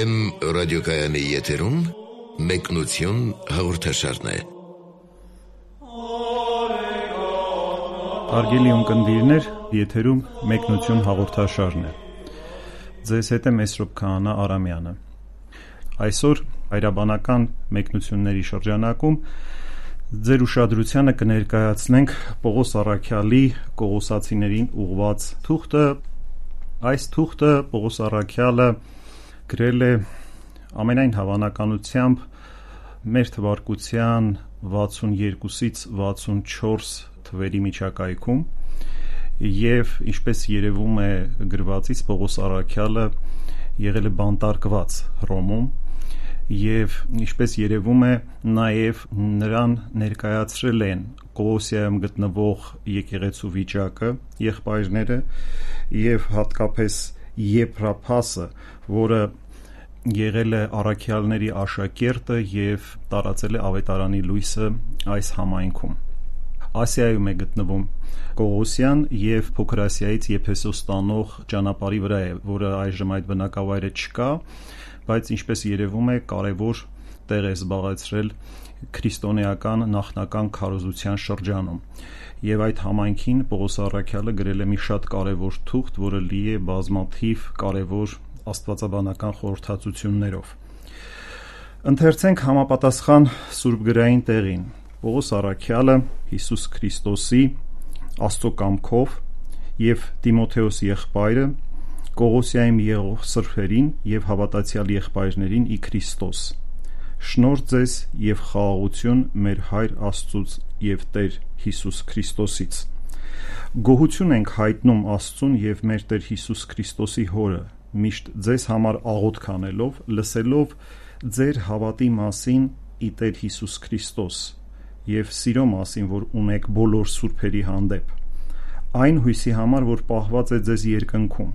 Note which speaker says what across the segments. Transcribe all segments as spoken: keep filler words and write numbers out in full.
Speaker 1: Վեմ ռադիոկայանի եթերում մեկնություն հաղորդաշարն է։
Speaker 2: Հարգելի ունկնդիրներ, եթերում մեկնություն հաղորդաշարն է։ Ձեզ հետ է Մեսրոպ Քահանա Արամյանը։ Այսօր հայրաբանական մեկնությունների շրջանակում ձեր ուշադրությանը կներկայացնենք Պողոս Առաքյալի Կողոսացիներին ուղղված թուղթը։ Այս թուղթը Պողոս Առաքյալը գրել է ամենայն հավանականությամբ մեր թվարկության վաթսունյոթից վաթսունչորս թվերի միջակայքում, եւ ինչպես երևում է գրվածից, Պողոս Առաքյալը եղել է բանտարկված Հռոմում, եւ ինչպես երևում է, նաեւ նրան ներկայացրել են Կողոսիայում գտնվող եկեղեցու վիճակը, եղբայրները, եւ հատկապես Եփրափասը, որը եղել է առաքյալների աշակերտը եւ տարածել է ավետարանի լույսը այս համայնքում։ Ասիայում է գտնվում Կողոսյան եւ Փոքր Ասիայից Եփեսոս տանող ճանապարհի վրա է, որը այժմ այդ բնակավայրը չկա, բայց ինչպես երևում է, կարևոր տեղ է զբաղեցրել քրիստոնեական նախնական քարոզության շրջանում։ Եվ այդ համայնքին Պողոս Առաքյալը գրել է մի շատ կարևոր թուղթ, որը լի է բազմաթիվ կարևոր աստվածաբանական խորհրդածություններով։ Ընթերցենք համապատասխան սուրբգրային տեղին։ Պողոս Առաքյալը Հիսուս Քրիստոսի Աստծո կամքով եւ Տիմոթեոս եղբայրը Կողոսիայում եղող սրբերին եւ հավատացյալ եղբայրներին ի Քրիստոս։ Շնորհ ձեզ եւ խաղաղություն մեր Հայր Աստծուց եւ Տեր Հիսուս Քրիստոսից։ Գոհություն ենք հայտնում Աստծուն եւ մեր Տեր Հիսուս Քրիստոսի Հորը, միշտ ձեզ համար աղոթք անելով, լսելով ձեր հավատի մասին ի Տեր Հիսուս Քրիստոս եւ սիրո մասին, որ ունեք բոլոր սուրբերի հանդեպ, այն հույսի համար, որ պահված է ձեզ երկնքում,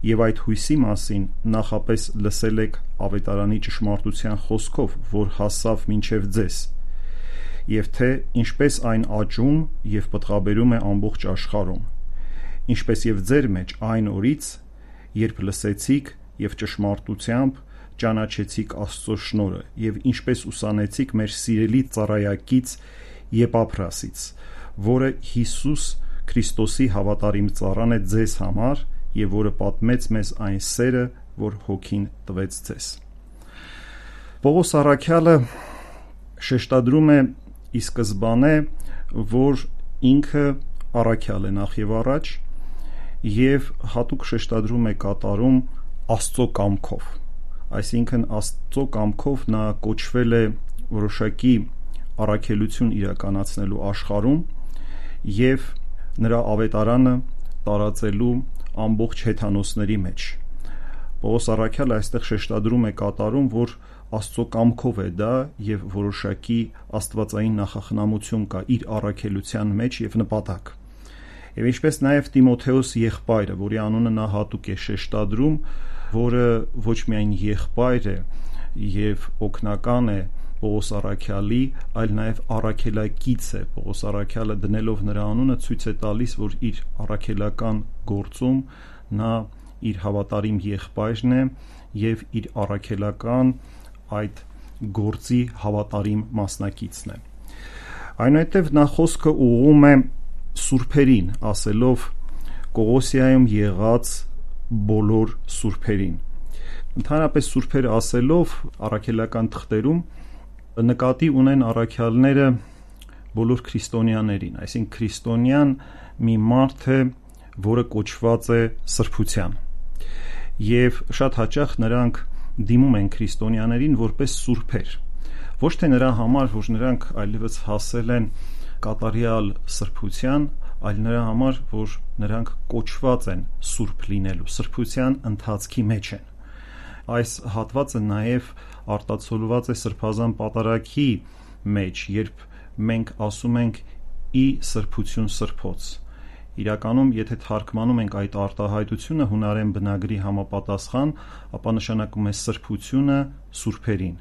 Speaker 2: եւ այդ հույսի մասին նախապես լսել եք ավետարանի ճշմարտության խոսքով, որ հասավ մինչև ձեզ, եւ թե ինչպես այն աճում եւ պտղաբերում է ամբողջ աշխարհում, ինչպես եւ ձեր մեջ այն օրից, երբ լսեցիք եւ ճշմարտությամբ ճանաչեցիք Աստծո շնորհը, եւ ինչպես ուսանեցիք մեր սիրելի ծառայակից Եփափրասից, որը Հիսուս Քրիստոսի հավատարիմ ծառան է ձեզ համար, եւ որը պատմեց մեզ այն սերը, որ հոգին տվեց ձեզ։ Պողոս Առաքյալը շեշտադրում է ի սկզբանե, որ ինքը առաքյալ է նախ եւ առաջ, եւ հատուկ շեշտադրում է կատարում Աստծո կամքով, այսինքն Աստծո կամքով նա կոչվել է որոշակի առաքելություն իրականացնելու աշխարհում եւ նրա ավետարանը տարածելու ամբողջ հեթանոսների մեջ։ Պողոս Առաքյալը այստեղ շեշտադրում է կատարում, որ Աստծո կամքով է դա եւ որոշակի աստվածային նախախնամություն կա իր առաքելության մեջ եւ նպատակ։ Եվ ինչպես նաեւ Տիմոթեոս եղբայրը, որի անունը նա հատուկ է շեշտադրում, որը ոչ միայն եղբայր է եւ օգնական է Պողոս Առաքյալի, այլ նաեւ առաքելակից է։ Պողոս Առաքյալը դնելով նրա անունը ցույց է տալիս, որ իր առաքելական գործում նա իր հավատարիմ եղբայրն է եւ իր առաքելական այդ գործի հավատարիմ մասնակիցն է։ Այնուհետև նա խոսքը ուղղում է սուրբերին, ասելով Կողոսիայում եղած բոլոր սուրբերին։ Ընդհանրապես սուրբեր ասելով առաքելական թղթերում նկատի ունեն առաքյալները բոլոր քրիստոնյաներին, այսինքն քրիստոնյան մի մարդ է, որը կոչված է սրբության, եւ շատ հաճախ նրանք դիմում են քրիստոնյաներին որպես սուրբեր, ոչ թե նրա համար, որ նրանք այլևս հասել են կատարյալ սրբության, այլ նրա համար, որ նրանք կոչված են սուրբ լինելու, սրբության ընթացքի մեջ են։ Այս հատվածը նաև արտացոլված է Սրբազան պատարագի մեջ, երբ մենք ասում ենք ի սրբություն սրբոց։ Իրականում, եթե թարգմանում ենք այդ արտահայտությունը հունարեն բնագրի համապատասխան, ապա նշանակում է սրբությունը սուրբերին,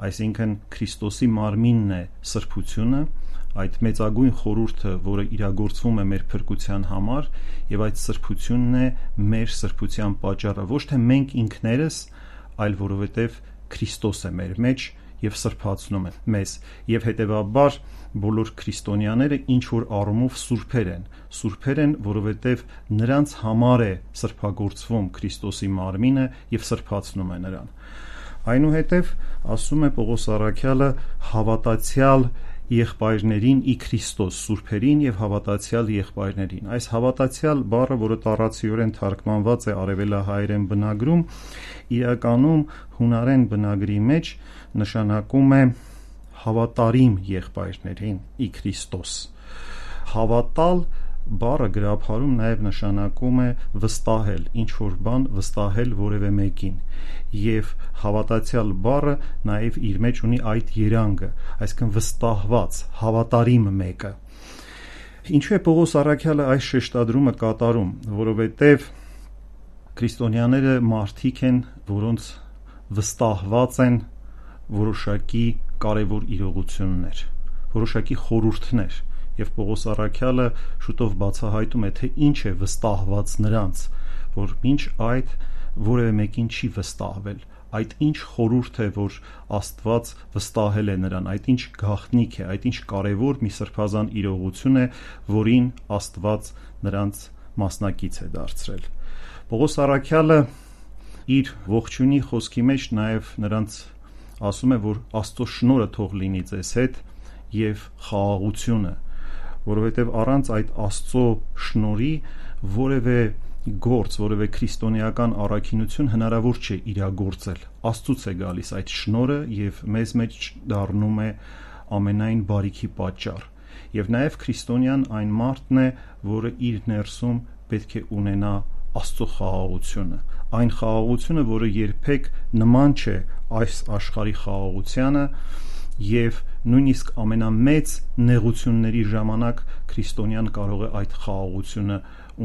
Speaker 2: այսինքն Քրիստոսի մարմինն է սրբությունը, այդ մեծագույն խորհուրդը, որը իրագործվում է մեր փրկության համար, եւ այդ սրբությունն է մեր սրբության պատճառը, ոչ թե մենք ինքներս, այլ որովհետև Քրիստոս է մեր մեջ և սրբացնում է մեզ, և հետևաբար բոլոր քրիստոնյաները ինչ որ առումով սուրբեր են, սուրբեր են, որովհետև նրանց համար է սրբագործվում Քրիստոսի մարմինը և սրբացնում է նրան։ Այնուհետև ասում է Պողոս առաքյալը հավատացյալ եղբայրներին ի Քրիստոս, սուրբերին և հավատացյալ եղբայրներին։ Այս հավատացյալ բառը, որը տառացիորեն թարգմանված է արևելահայերեն բնագրում, իրականում հունարեն բնագրի մեջ նշանակում է հավատարիմ եղբայրներին ի Քրիստոս։ Հավատալ բառը գրաբարում նաև նշանակում է վստահել, ինչ-որ բան վստահել որևէ մեկին, և հավատացյալ բառը նաև իր մեջ ունի այդ երանգը, այսինքն վստահված, հավատարիմ մեկը։ Ինչու է Պողոս առաքյալը այս շեշտադրումը կատարում, որովհետև քրիստոնյաները մարդիկ են, որոնց վստահված են որոշակի կարևոր իրողություններ, որոշակի խորհուրդներ, և Պողոս առաքյալը շուտով բացահայտում է, թե ինչ է վստահված նրանց, որ մինչ այդ որևէ մեկին չի վստահվել, այդ ինչ խորհուրդ է, որ Աստված վստահել է նրան, այդ ինչ գաղտնիք է, այդ ինչ կարևոր մի սրբազան իրողություն է, որին Աստված նրանց մասնակից է դարձրել։ Պողոս առաքյալը իր ողջույնի խոսքի մեջ նաև նրանց ասում է, որ Աստծո շնորհը թող լինի ձեզ հետ և խաղաղությունը, որովհետև առանց այդ Աստծո շնորհի որևէ գործ, որևէ քրիստոնեական առաքինություն հնարավոր չէ իրագործել։ Աստծուց է գալիս այդ շնորհը և մեզ մեջ դառնում է ամենայն բարիքի պատճառ։ Եվ նաև քրիստոնյան այն մարդն է, որը իր ներսում պետք է ունենա Աստծո խաղաղությունը, այն խաղաղությունը, որը երբեք նման չէ այս աշխարհի խաղաղությանը, և նույնիսկ ամենամեծ նեղությունների ժամանակ քրիստոնյան կարող է այդ խաղաղությունը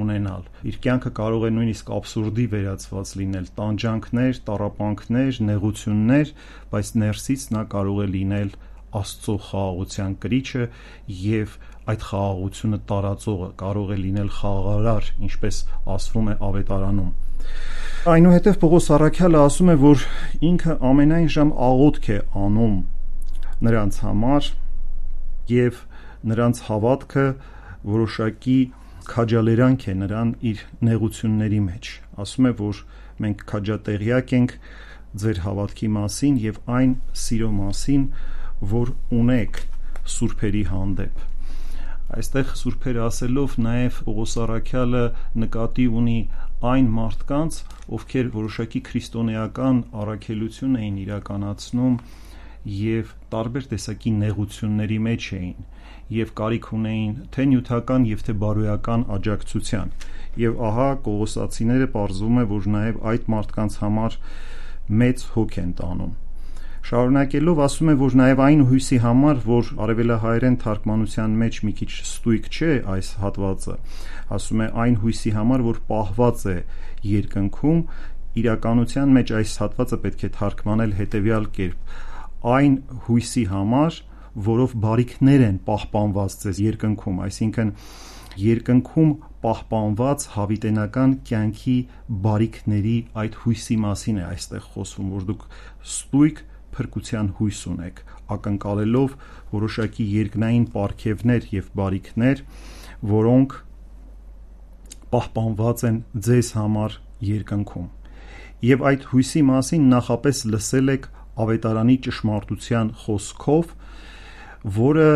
Speaker 2: ունենալ։ Իր կյանքը կարող է նույնիսկ աբսուրդի վերածված լինել, տանջանքներ, տառապանքներ, նեղություններ, բայց ներսից նա կարող է լինել Աստծո խաղաղության կրիչը և այդ խաղաղությունը տարածողը, կարող է լինել խաղաղարար, ինչպես ասվում է Ավետարանում։ Այնուհետև Պողոս առաքյալը ասում է, որ ինքը ամենայն ժամ աղոթք է անում նրանց համար և նրանց հավատքը որոշակի քաջալերանք է նրան իր նեղությունների մեջ։ Ասում է, որ մենք քաջատեղյակ ենք ձեր հավատքի մասին և այն սիրո մասին, որ ունեք սուրբերի հանդեպ։ Այստեղ սուրբեր ասելով նաև Պողոս առաքյալը նկատի ունի այն մարդկանց, ովքեր որոշակի քրիստոնեական առաքելություն էին իրականացնում և տարբեր տեսակի նեղությունների մեջ էին և կարիք ունեին թե նյութական և թե բարոյական աջակցության, և ահա Կողոսացիները պարզվում է, որ նաև այդ մարդկանց համար մեծ հոգ են տանում։ Շարունակելով ասում է, որ նաև այն հույսի համար, որ արևելահայերեն թարգմանության մեջ մի քիչ ստույգ չէ այս հատվածը, ասում է այն հույսի համար, որ պահված է երկնքում, իրականության մեջ այս հատվածը պետք է թարգմանել հետևյալ կերպ. այն հույսի համար, որով բարիքներ են պահպանված ձեզ երկնքում, այսինքն երկնքում պահպանված հավիտենական կյանքի բարիքների այդ հույսի մասին է այստեղ խոսվում, որ դուք ստույգ փրկության հույս ունեք, ակնկալելով որոշակի երկնային պարգևներ և բարիքներ, որոնք պահպանված են ձեզ համար երկնքում։ Եվ այդ հույսի մասին նախապես լսել եք Ավետարանի ճշմարտության խոսքով, որը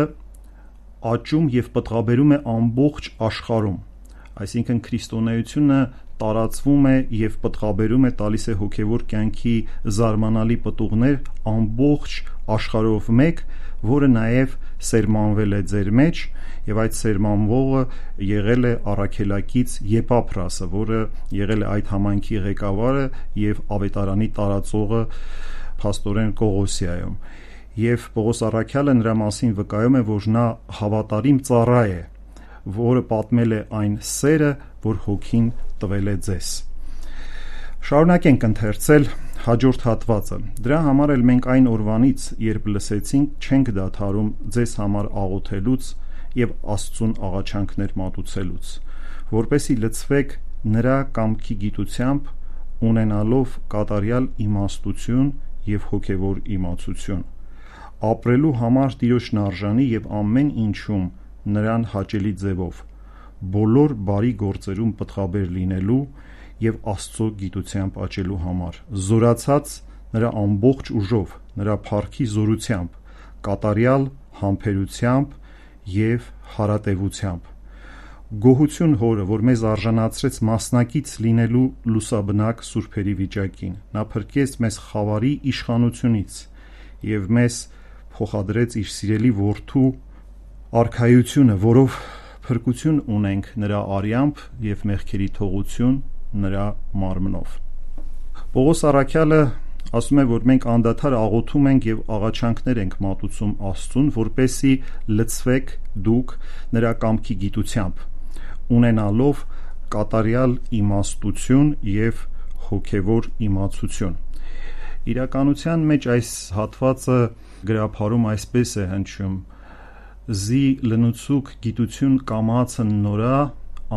Speaker 2: աճում և պտղաբերում է ամբողջ աշխարհում, այսինքն քրիստոնեությունը տարածվում է և պտղաբերում է, տալիս է հոգևոր կյանքի զարմանալի պտուղներ ամբողջ աշխարհով մեկ, որը նաև սերմանվել է ձեր մեջ, և այդ սերմանվողը եղել է առաքելակից Եփափրասը, որը եղել է այդ համայնքի ղեկավարը և Ավետարանի տարածողը փաստորեն Կողոսիայում, և Պողոս առաքյալը նրա մասին վկայում է, որ նա հավատարիմ ծառա է, որը պատմել է այն սերը, որ Հոգին տվել է ձեզ։ Շարունակենք ընթերցել հաջորդ հատվածը։ Դրա համար էլ մենք այն օրվանից, երբ լսեցինք, չենք դադարում ձեզ համար աղոթելուց և Աստծուն աղաչանքներ մատուցելուց, որպեսզի լցվեք նրա կամքի գիտությամբ ունենալով կատարյալ իմաստություն և հոգևոր իմացություն, ապրելու համար Տիրոջն արժանի և ամեն ինչում նրան հաճելի ձևով, բոլոր բարի գործերում պտղաբեր լինելու և Աստծո գիտությամբ աճելու համար, զորացած նրա ամբողջ ուժով, նրա փառքի զորությամբ, կատարյալ համբերությամբ և հարատևությամբ։ Գոհություն Հորը, որ մեզ արժանացրեց մասնակից լինելու լուսաբնակ սուրբերի վիճակին։ Նա փրկեց մեզ խավարի իշխանությունից և մեզ փոխադրեց իր սիրելի Որդու արքայությունը, որով փրկություն ունենք նրա արյամբ և մեղքերի թողություն նրա մարմնով։ Պողոս առաքյալը ասում է, որ մենք անդադար աղոթում ենք և աղաչանքներ ենք մատուցում Աստծուն, որպեսզի լցվեք դուք նրա կամքի գիտությամբ, ունենալով կատարյալ իմաստություն և հոգևոր իմացություն։ Իրականության մեջ այս հատվածը գրաբարում այսպես է հնչում. «Զի լնուցուկ գիտություն կամացն նորա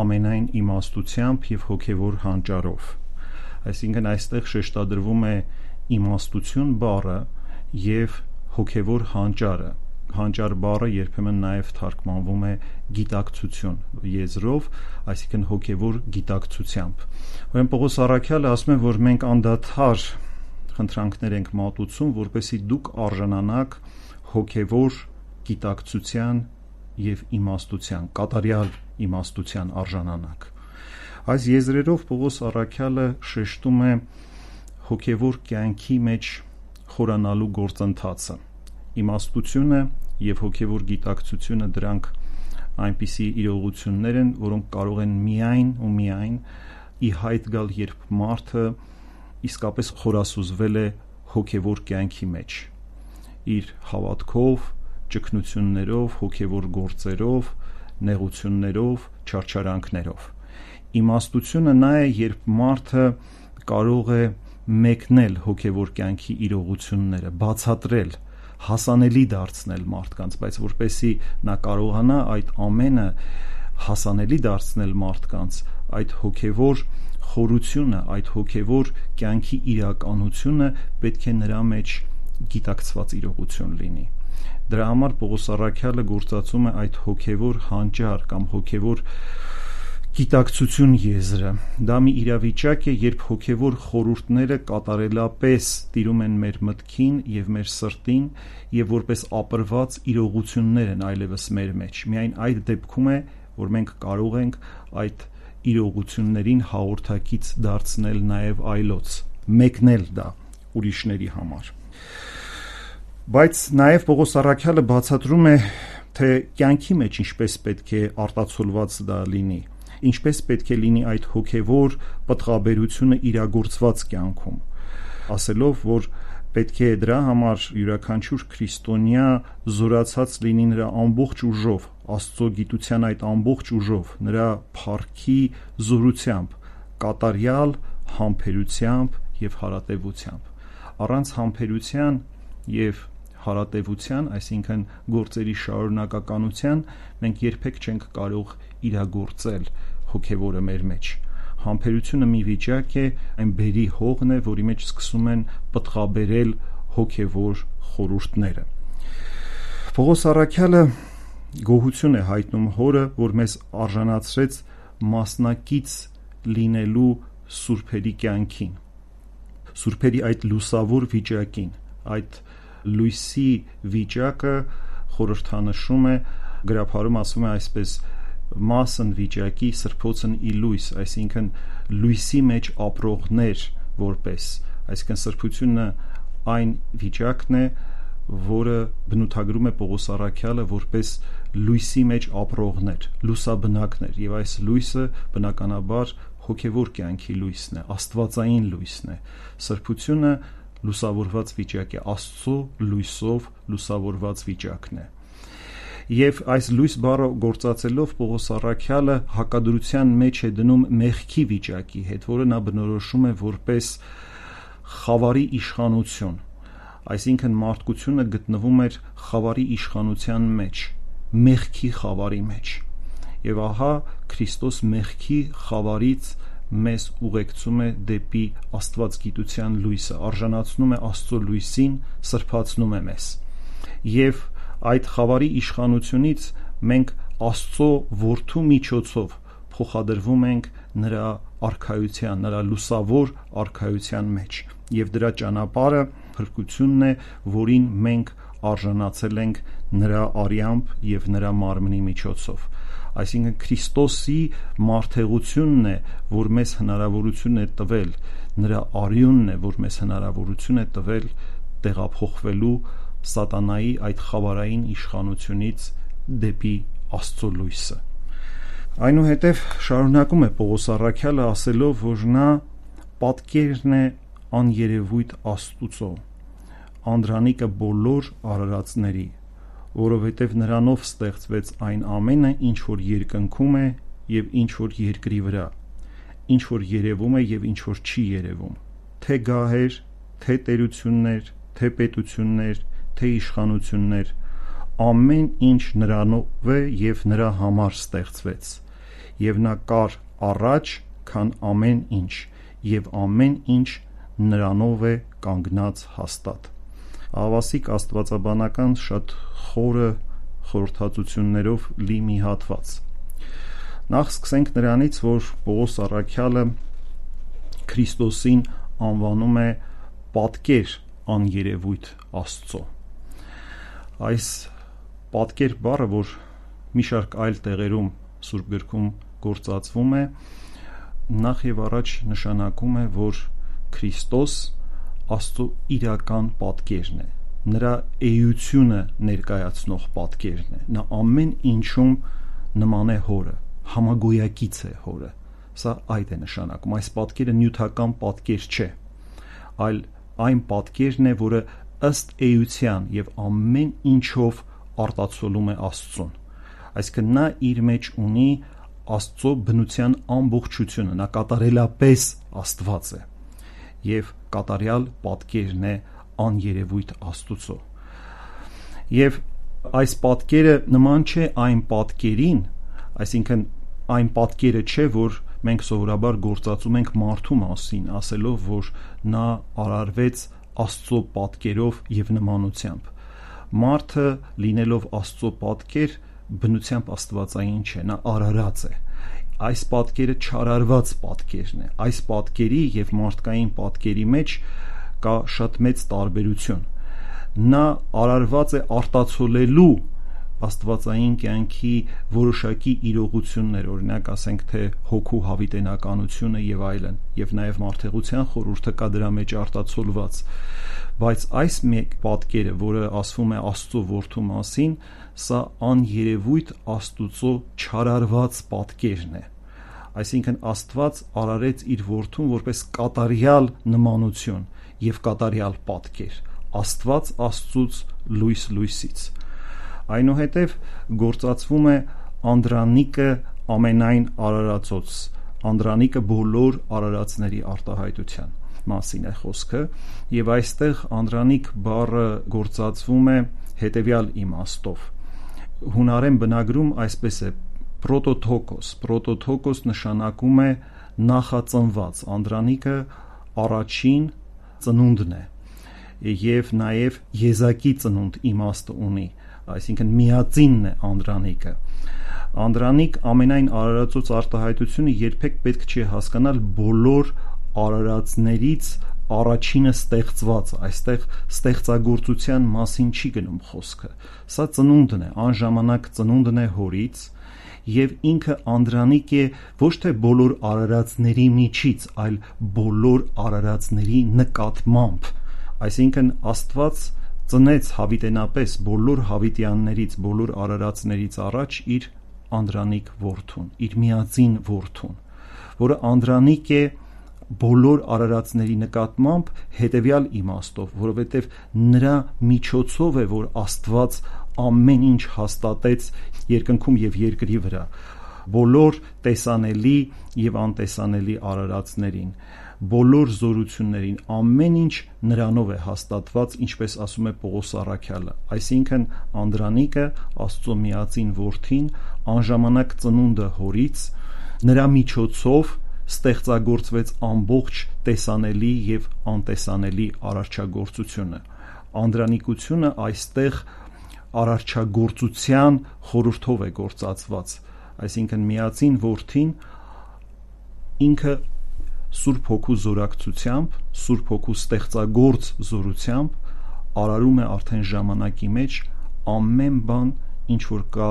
Speaker 2: ամենայն իմաստությամբ և հոգևոր հանճարով»։ Այսինքն այստեղ շեշտադրվում է իմաստություն բառը և հոգևոր հանճարը։ Հանճար բառը երբեմն նաև թարգմանվում է գիտակցություն եզրով, այսինքն հոգևոր գիտակցությամբ։ Ուրեմն Պողոս առաքյալը ասում է, որ մենք անդադար խնդրանքներ ենք մատուցում, որպեսզի դուք արժանանաք հոգևոր գիտակցության և իմաստության, կատարյալ իմաստության արժանանաք։ Այս եզրերով Պողոս առաքյալը շեշտում է հոգևոր կյանքի մեջ խորանալու գործընթացը։ Իմաստությունը և հոգևոր գիտակցությունը դրանք այնպիսի իրողություններ են, որոնք կարող են միայն ու միայն ի հայտ գալ, երբ մարդը իսկապես խորասուզվել է հոգևոր կյանքի մեջ, իր հավատքով, ճգնություններով, հոգևոր գործերով, նեղություններով, չարչարանքներով։ Իմաստությունը նա է, երբ մարդը կարող է մեկնել հոգևոր կյանքի իրողությունները, բացատրել, հասանելի դարձնել մարդկանց, բայց որպեսզի նա կարողանա այդ ամենը հասանելի դարձնել մարդկանց, այդ հոգևոր խորությունը, այդ հոգևոր կյանքի իրականությունը պետք է նրա մեջ գիտակցված իրողություն լինի։ Դրա համար Պողոս առաքյալը գործածում է այդ հոգևոր հանճար կամ հոգևոր գիտակցություն եզրը։ Դա մի իրավիճակ է, երբ հոգևոր խորհուրդները կատարելապես տիրում են մեր մտքին և մեր սրտին և որպես ապրված իրողություններ են այլևս մեր մեջ։ Միայն այդ դեպքում է, որ մենք կարող ենք այդ իրողություններին հաղորդակից դարձնել նաև այլոց, մեկնել դա ուրիշների համար։ Բայց նաև Պողոս առաքյալը բացատրում է, թե կյանքի մեջ ինչպես պետք է արտացոլված դա լինի, ինչպես պետք է լինի այդ հոգևոր պտղաբերությունը իրագործված կյանքում, ասելով, որ պետք է դրա համար յուրաքանչյուր քրիստոնյա զորացած լինի նրա ամբողջ ուժով, Աստծո գիտության այդ ամբողջ ուժով, նրա փառքի զորությամբ, կատարյալ համբերությամբ և հարատևությամբ։ Առանց համբերության և հարատևության, այսինքն գործերի շարունակականության, մենք երբեք չենք կարող իրագործել հոգևորը մեր մեջ։ Համբերությունը մի վիճակ է, այն բերի հողն է, որի մեջ սկսում են պտղաբերել հոգևոր խորհուրդները։ Պողոս առաքյալը գոհություն է հայտնում Հորը, որ մեզ արժանացրեց մասնակից լինելու սուրբերի կյանքին, սուրբերի այդ լուսավոր վիճակին, այդ լույսի վիճակը խորհրդանշում է, գրաբարում ասում է այսպես. մասն վիճակի սրբոցն ի լույս, այսինքն լույսի մեջ ապրողներ որպես, այսինքն սրբությունը այն վիճակն է, որը բնութագրում է Պողոս առաքյալը որպես լույսի մեջ ապրողներ, լուսաբնակներ, եւ այս լույսը բնականաբար հոգևոր կյանքի լույսն է, աստվածային լույսն է։ Սրբությունը լուսավորված վիճակ է, Աստծո լույսով լուսավորված վիճակն է։ Եվ այս լույս բառը գործածելով Պողոս առաքյալը հակադրության մեջ է դնում մեղքի վիճակի հետ, որը նա բնորոշում է որպես խավարի իշխանություն, այսինքն մարդկությունը գտնվում էր խավարի իշխանության մեջ, մեղքի խավարի մեջ։ Եվ ահա Քրիստոս մեղքի խավարից մեզ ուղեկցում է դեպի աստվածգիտության լույսը, արժանացնում է Աստծո լույսին, սրբացնում է մեզ։ Եվ այդ խավարի իշխանությունից մենք Աստծո որդու միջոցով փոխադրվում ենք նրա արքայության, նրա լուսավոր արքայության մեջ, եւ դրա ճանապարհը փրկությունն է, որին մենք արժանացել ենք նրա արյամբ եւ նրա մարմնի միջոցով։ Այսինքն Քրիստոսի մարդեղությունն է, որ մեզ հնարավորություն է տվել, նրա արյունն է, որ մեզ հնարավորություն է տվել տեղափոխվելու սատանայի այդ խավարային իշխանությունից դեպի Աստծո լույսը։ Այնուհետև շարունակում է Պողոս առաքյալը ասելով, որ նա պատկերն է աներևույթ Աստուծո, անդրանիկը բոլոր արարածների, որովհետև նրանով ստեղծվեց այն ամենը, ինչ որ երկնքում է եւ ինչ որ երկրի վրա, ինչ որ երևում է եւ ինչ որ չի երևում, թե գահեր, թե տերություններ, թե պետություններ, թե իշխանություններ, ամեն ինչ նրանով է եւ նրա համար ստեղծվեց, եւ նա կար առաջ, քան ամեն ինչ, եւ ամեն ինչ նրանով է կանգնած հաստատ։ Ավասիկ աստվածաբանական շատ խորը խորհրդածություններով լի մի հատված։ Նախ սկսենք նրանից, որ Պողոս առաքյալը Քրիստոսին անվանում է պատկեր աներևույթ Աստծո։ Այս պատկեր բառը, որ մի շարք այլ տեղերում Սուրբ գրքում գործածվում է, նախ եւ առաջ նշանակում է, որ Քրիստոս Աստծո իրական պատկերն է, նրա էությունը ներկայացնող պատկերն է, նա ամեն ինչում նման է հորը, համագոյակից է հորը, սա այդ է նշանակում, այս պատկերը նյութական պատկեր չէ, այլ այն պատկերն է, որը ըստ էության եւ ամեն ինչով արտացոլում է Աստծուն, այսինքն նա իր մեջ ունի Աստծո բնության ամբողջությունը, նա կատարելապես Աստված է եւ կատարյալ պատկերն է աներևույթ Աստուծո։ Եվ այս պատկերը նման չէ այն պատկերին, այսինքն այն պատկերը չէ, որ մենք սովորաբար գործածում ենք մարդու մասին, ասելով, որ նա արարվեց Աստծո պատկերով եւ նմանությամբ։ Մարդը լինելով Աստծո պատկեր, բնությամբ աստվածային չէ, նա արարած է։ Այս պատկերը չարարված պատկերն է։ Այս պատկերի եւ մարդկային պատկերի մեջ կա շատ մեծ տարբերություն։ Նա արարված է արտացոլելու աստվածային կյանքի որոշակի իրողություններ, օրինակ ասենք թե հոգու հավիտենականությունը եւ այլն, եւ նաեւ մարդեղության խորհուրդը կա դրա մեջ արտացոլված։ Բայց այս մեկ պատկերը, որը ասվում է Աստծո որդու մասին, սա աներևույթ Աստուծո չարարված պատկերն է։ Այսինքն Աստված արարեց իր որդուն որպես կատարյալ նմանություն եւ կատարյալ պատկեր, Աստված Աստծուց լույս լույսից։ Այնուհետև գործածվում է անդրանիկը ամենայն արարածոց, անդրանիկը բոլոր արարածների արտահայտության մասին է խոսքը, եւ այստեղ անդրանիկ բառը գործածվում է հետեւյալ իմաստով։ Հունարեն բնագրում այսպես է պրոտոթոկոս, պրոտոթոկոս նշանակում է նախածնված, անդրանիկը առաջին ծնունդն է եւ նաեւ եզակի ծնունդ իմաստը ունի, այսինքն միածինն է անդրանիկը։ Անդրանիկ ամենայն արարածոց արտահայտությունը երբեք պետք չի հասկանալ բոլոր արարածներից առաջինը ստեղծված, այստեղ ստեղծագործության մասին չի գնում խոսքը։ Սա ծնունդն է, անժամանակ ծնունդն է հորից, եւ ինքը անդրանիկ է ոչ թե բոլոր արարածների միջից, այլ բոլոր արարածների նկատմամբ։ Այսինքն Աստված ծնեց հավիտենապես բոլոր հավիտյաններից, բոլոր արարածներից առաջ իր անդրանիկ որդուն, իր միածին որդուն, որը անդրանիկ է բոլոր արարածների նկատմամբ հետևյալ իմաստով, որովհետև նրա միջոցով է, որ Աստված ամեն ինչ հաստատեց երկնքում եւ երկրի վրա, բոլոր տեսանելի եւ անտեսանելի արարածներին, բոլոր զորություններին, ամեն ինչ նրանով է հաստատված, ինչպես ասում է Պողոս առաքյալը, այսինքն անդրանիկը Աստծո միածին որդին, անժամանակ ծնունդը հորից, նրա միջոցով ստեղծագործվեց ամբողջ տեսանելի եւ անտեսանելի արարչագործությունը։ Անդրանիկությունը այստեղ արարչագործության խորհրդով է գործածված, այսինքն միածին որդին ինքը Սուրբ Հոգու զորակցությամբ, Սուրբ Հոգու ստեղծագործ զորությամբ արարում է արդեն ժամանակի մեջ ամեն բան, ինչ որ կա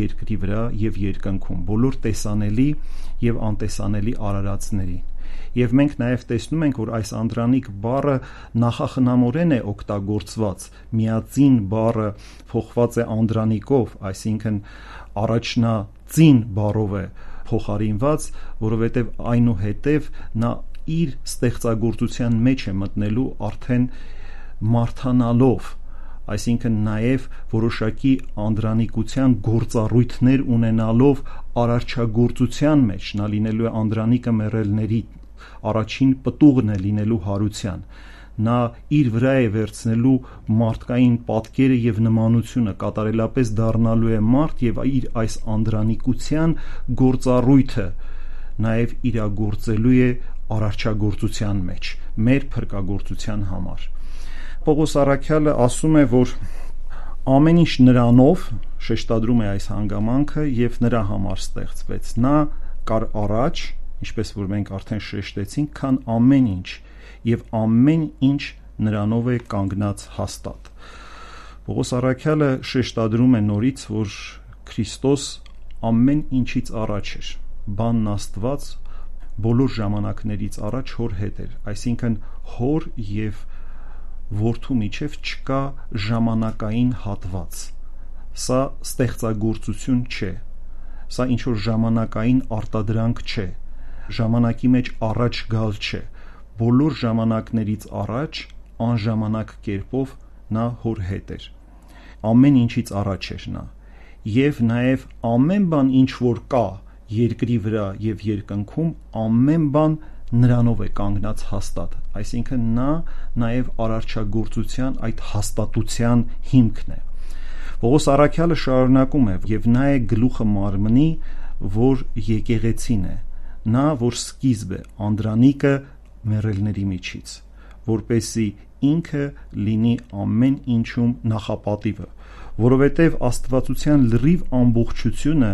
Speaker 2: երկրի վրա եւ երկնքում, բոլոր տեսանելի եւ անտեսանելի արարածներին։ Եվ մենք նաև տեսնում ենք, որ այս անդրանիկ բառը նախախնամորեն է օգտագործված, միածին բառը փոխված է անդրանիկով, այսինքն առաջնածին բառով է փոխարինված, որովհետև այնուհետև նա իր ստեղծագործության մեջ է մտնելու արդեն մարդանալով, այսինքն նաև որոշակի անդրանիկության գործառույթներ ունենալով արարչագործության մեջ, նա լինելու է անդրանիկը մեռելների առաջին պտուղն է լինելու հարության, նա իր վրա է վերցնելու մարդկային պատկերը եւ նմանությունը, կատարելապես դառնալու է մարդ եւ իր այս անդրանիկության գործառույթը նաև իրագործելու է արարչագործության մեջ, մեր փրկagorցության համար։ Պողոս առաքյալը ասում է, որ ամեն ինչ նրանով, շեշտադրում է այս հանգամանքը, եւ նրա համար ստեղծվեց, նա կար առաջ, ինչպես որ մենք արդեն շեշտեցինք, քան ամեն ինչ, եւ ամեն ինչ նրանով է կանգնած հաստատ։ Պողոս առաքյալը շեշտադրում է նորից, որ Քրիստոս ամեն ինչից առաջ էր, բանն Աստված բոլոր ժամանակներից առաջ հոր հետ էր, այսինքն հոր եւ որդու միջև չկա ժամանակային հատված, սա ստեղծագործություն չէ, սա ինչ որ ժամանակային արտադրանք չէ, ժամանակի մեջ առաջ գալ չէ, բոլոր ժամանակներից առաջ անժամանակ կերպով նա հոր հետ էր, ամեն ինչից առաջ էր նա, եւ նաեւ ամեն բան ինչ որ կա երկրի վրա եւ երկնքում, ամեն բան նրանով է կանգնած հաստատ, այսինքն նա նաեւ արարչագործության այդ հաստատության հիմքն է։ Պողոս առաքյալը շարունակում է, եւ նա է գլուխը մարմնի, որ եկեղեցին է, նա որ սկիզբ է, անդրանիկը մեռելների միջից, որպեսզի ինքը լինի ամեն ինչում նախապատիվը, որովհետև աստվածության լրիվ ամբողջությունը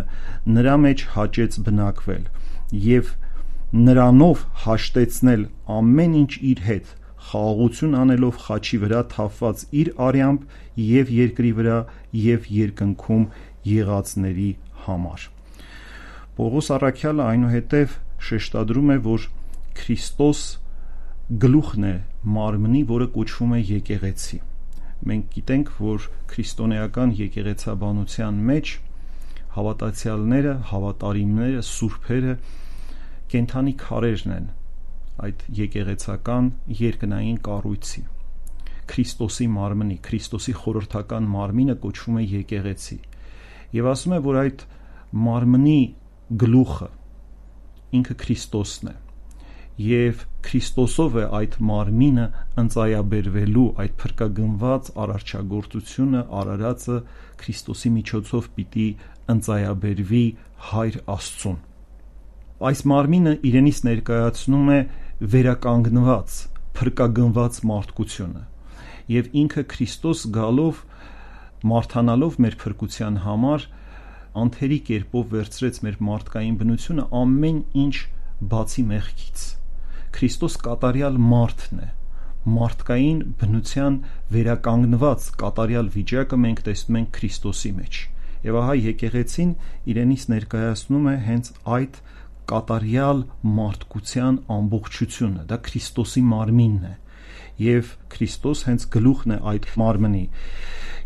Speaker 2: նրա մեջ հաճեց բնակվել եւ նրանով հաշտեցնել ամեն ինչ իր հետ, խաղաղություն անելով խաչի վրա թափված իր արյամբ եւ երկրի վրա եւ երկնքում եղածների համար։ Պողոս առաքյալը այնուհետև շեշտադրում է, որ Քրիստոս գլուխն է մարմնի, որը կոչվում է եկեղեցի։ Մենք գիտենք, որ քրիստոնեական եկեղեցաբանության մեջ հավատացյալները, հավատարիմները, սուրբերը կենդանի քարերն են այդ եկեղեցական երկնային կառույցի, Քրիստոսի մարմնի, Քրիստոսի խորհրդական մարմինը կոչվում է եկեղեցի, եւ ասում է, որ այդ մարմնի գլուխը ինքը Քրիստոսն է, եւ Քրիստոսով է այդ մարմինը ընծայաբերվելու, այդ փրկագնված արարչագործությունը, արարածը Քրիստոսի միջոցով պիտի ընծայաբերվի Հայր Աստծուն։ Այս մարմինը իրենից ներկայացնում է վերականգնված, փրկագնված մարդկությունը, եւ ինքը Քրիստոս գալով, մարդանալով մեր փրկության համար, անթերի կերպով վերցրեց մեր մարդկային բնությունը ամեն ինչ բացի մեղքից։ Քրիստոս կատարյալ մարդն է, մարդկային բնության վերականգնված կատարյալ վիճակը մենք տեսնում ենք Քրիստոսի մեջ, եւ ահա եկեղեցին իրենից ներկայացնում է հենց այդ կատարյալ մարդկության ամբողջությունը, դա Քրիստոսի մարմինն է, եւ Քրիստոս հենց գլուխն է այդ մարմնի։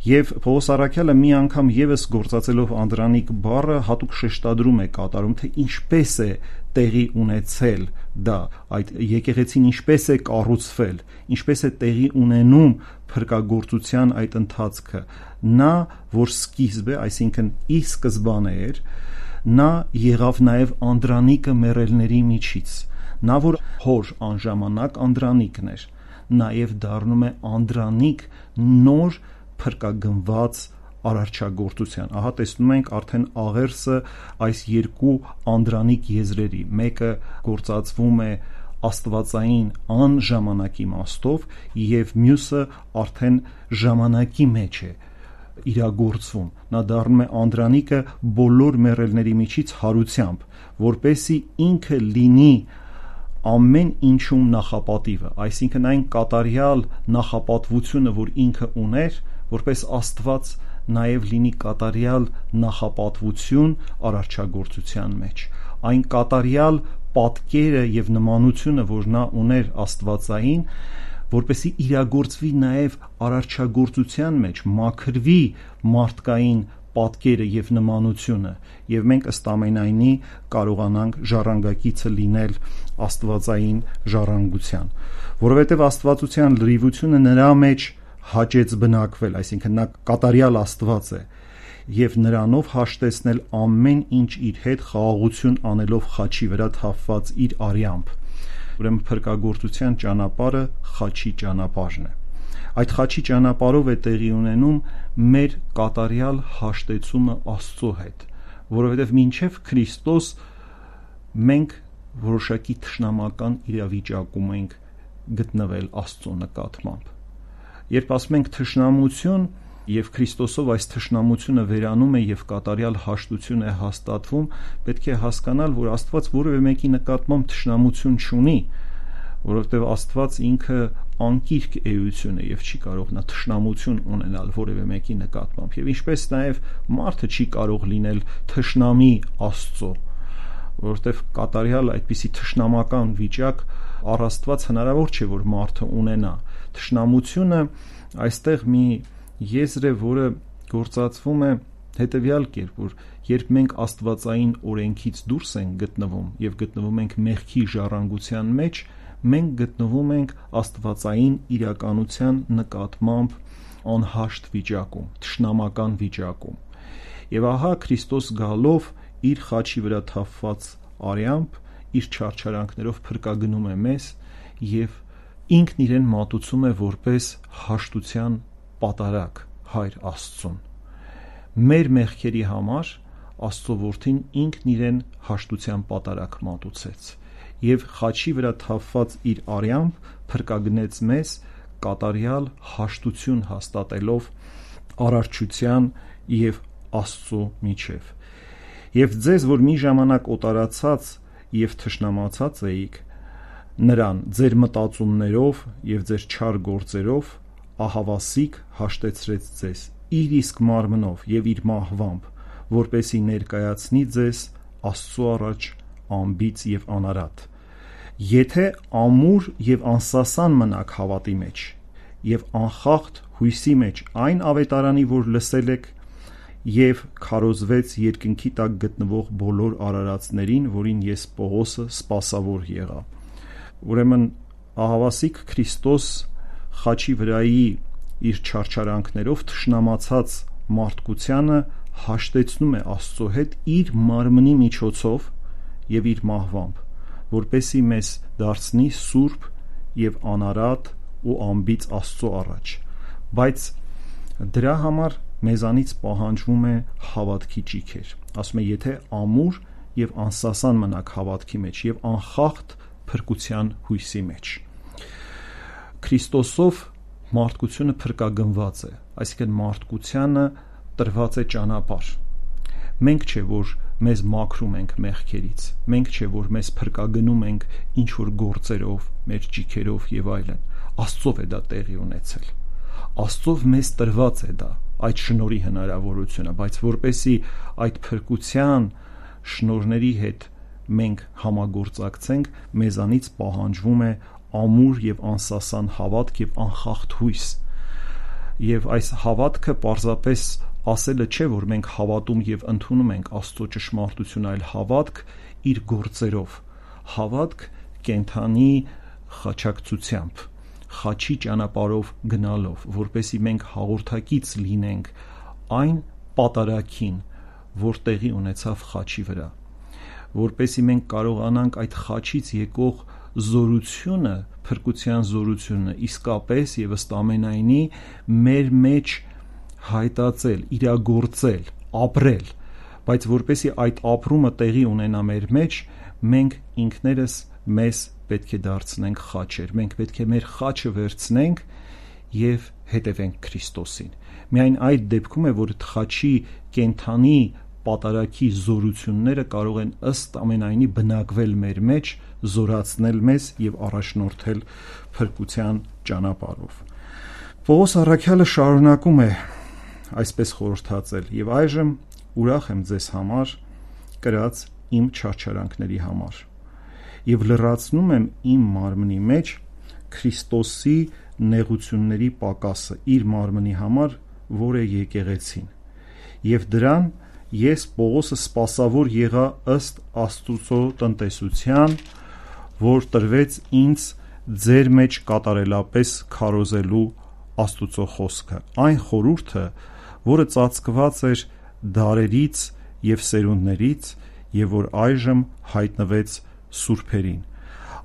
Speaker 2: Եվ Պողոս առաքյալը մի անգամ եւս գործածելով անդրանիկ բառը հատուկ շեշտադրում է կատարում, թե ինչպես է տեղի ունեցել դա, այդ եկեղեցին ինչպես է կառուցվել, ինչպես է տեղի ունենում փրկagorցության այդ ընթացքը։ Նա, որ սկիզբ է, այսինքն ի սկզբանե էր, նա եղավ նաև անդրանիկը մեռելների միջից, նա որ հոր անժամանակ անդրանիկն էր, նաև դառնում է անդրանիկ նոր փրկագնված արարչագործության։ Ահա տեսնում ենք արդեն աղերսը այս երկու անդրանիկ եզրերի, մեկը գործածվում է աստվածային անժամանակ իմաստով եւ մյուսը արդեն ժամանակի մեջ է իրագործվում։ Նա դառնում է անդրանիկը բոլոր մեռելների միջից հարությամբ, որպեսի ինքը լինի ամեն ինչում նախապատիվը, այսինքն այն կատարյալ նախապատվությունը, որ ինքը ուներ, որպես Աստված նաև լինի կատարյալ նախապատվություն արարչագործության մեջ, այն կատարյալ պատկերը եւ նմանությունը, որ նա ուներ աստվածային, որպեսի իրագործվի նաև արարչագործության մեջ, մաքրվի մարդկային պատկերը եւ նմանությունը, եւ մենք ըստ ամենայնի կարողանանք ժառանգակիցը լինել աստվածային ժառանգության, որովհետեւ աստվածության լրիվությունը նրա մեջ հաճեց բնակվել, այսինքն նա կատարյալ Աստված է եւ նրանով հաշտեցնել ամեն ինչ իր հետ խաղաղություն անելով խաչի վրա թափված իր արյամբ։ Ուրեմն փրկagorցության ճանապարհը խաչի ճանապարհն է։ Այդ խաչի ճանապարհով է տեղի ունենում մեր կատարյալ հաշտեցումը Աստծո հետ, որովհետեւ մինչեւ Քրիստոս մենք որոշակի թշնամական իրավիճակում ենք գտնվել Աստծո նկատմամբ։ Երբ ասում ենք թշնամություն եւ Քրիստոսով այս թշնամությունը վերանում է եւ կատարյալ հաշտություն է հաստատվում, պետք է հասկանալ, որ Աստված որևէ մեկի նկատմամբ թշնամություն չունի, որովհետեւ Աստված ինքը անկիրք էություն է եւ չի կարող նա թշնամություն ունենալ որևէ մեկի նկատմամբ, եւ ինչպես նաեւ մարդը չի կարող լինել թշնամի Աստծո, որովհետեւ կատարյալ այդպիսի թշնամական վիճակ առ Աստված հնարավոր չէ, որ մարդը ունենա։ Թշնամությունը այստեղ մի եզր է, որը գործածվում է հետևյալ կերպ, որ երբ մենք աստվածային օրենքից դուրս ենք գտնվում եւ գտնվում ենք մեղքի ժառանգության մեջ, մենք գտնվում ենք աստվածային իրականության նկատմամբ անհաշտ վիճակում, թշնամական վիճակում։ Եվ ահա Քրիստոս գալով իր խաչի վրա թափված արյամբ, իր չարչարանքներով փրկագնում է մեզ եւ ինքն իրեն մատուցում է որպես հաշտության պատարագ Հայր Աստծուն։ Մեր մեղքերի համար Աստծո որդին ինքն իրեն հաշտության պատարագ մատուցեց եւ խաչի վրա թափված իր արյամբ փրկագնեց մեզ կատարյալ հաշտություն հաստատելով արարչության եւ Աստծո միջև։ Եվ ձեզ, որ մի ժամանակ օտարացած եւ թշնամացած էիք, նրան ձեր մտածումներով եւ ձեր չար գործերով ահավասիկ հաշտեցրեց ձեզ իր իսկ մարմնով եւ իր մահվամբ, որպեսի ներկայացնի ձեզ Աստծո առաջ անբիծ եւ անարատ։ Եթե ամուր եւ անսասան մնաք հավատի մեջ եւ անխախտ հույսի մեջ այն ավետարանի, որ լսել եք, եւ քարոզվեց երկնքի տակ գտնվող բոլոր արարածներին, որին ես Պողոսը սպասավոր եղա։ Ուրեմն ահավասիկ Քրիստոս խաչի վրայի իր չարչարանքներով թշնամացած մարդկությանը հաշտեցնում է Աստծո հետ իր մարմնի միջոցով եւ իր մահվամբ, որպեսի մեզ դարձնի սուրբ եւ անարատ ու անբիծ Աստծո առաջ։ Բայց դրա համար մեզանից պահանջվում է հավատքի ճիգեր։ Ասում է, եթե ամուր եւ անսասան մնաք հավատքի մեջ եւ անխախտ փրկության հույսի մեջ։ Քրիստոսով մարդկությունը փրկագնված է, այսինքն մարդկությանը տրված է ճանապարհ։ Մենք չէ, որ մեզ մաքրում ենք մեղքերից, մենք չէ, որ մեզ փրկագնում ենք ինչ որ գործերով, մեր ճիգերով եւ այլն։ Աստծով է դա տեղի ունեցել։ Աստծով մեզ տրված է դա, այդ շնորհի հնարավորությունը, բայց որպեսի այդ փրկության շնորհների հետ մենք համագործակցենք, մեզանից պահանջվում է ամուր եւ անսասան հավատք եւ անխախտ հույս։ Եվ այս հավատքը պարզապես ասելը չէ, որ մենք հավատում եւ ընդունում ենք Աստծո ճշմարտությունը, այլ հավատք իր գործերով, հավատք կենթանի խաչակցությամբ, խաչի ճանապարհով գնալով, որպեսի մենք հաղորդակից լինենք այն պատարագին, որ տեղի ունեցավ խաչի վրա, որպեսի մենք կարողանանք այդ խաչից եկող զորությունը, փրկության զորությունը իսկապես եւ ըստ ամենայնի մեր մեջ հայտածել, իրագործել, ապրել, բայց որպեսզի այդ ապրումը տեղի ունենա մեր մեջ, մենք ինքներս մեզ պետք է դարձնենք խաչեր, մենք պետք է մեր խաչը վերցնենք եւ հետևենք Քրիստոսին։ Միայն այդ դեպքում է, որ խաչի կենթանի պատարագի զորությունները կարող են ըստ ամենայնի բնակվել մեր մեջ, զորացնել մեզ եւ առաջնորդել փրկության ճանապարհով։ Պողոս առաքյալը շարունակում է այսպես խորհրդածել. «Եվ այժմ ուրախ եմ ձեզ համար կրած իմ չարչարանքների համար եւ լրացնում եմ իմ մարմնի մեջ Քրիստոսի նեղությունների պակասը իր մարմնի համար, որ է եկեղեցին, եւ դրան ես Պողոսը սպասավոր եղա ըստ Աստծո տնտեսության, որ տրվեց ինձ ձեր մեջ կատարելապես քարոզելու Աստծո խոսքը, այն խորհուրդը, որը ծածկված էր դարերից եւ սերունդներից եւ որ այժմ հայտնվեց սուրբերին։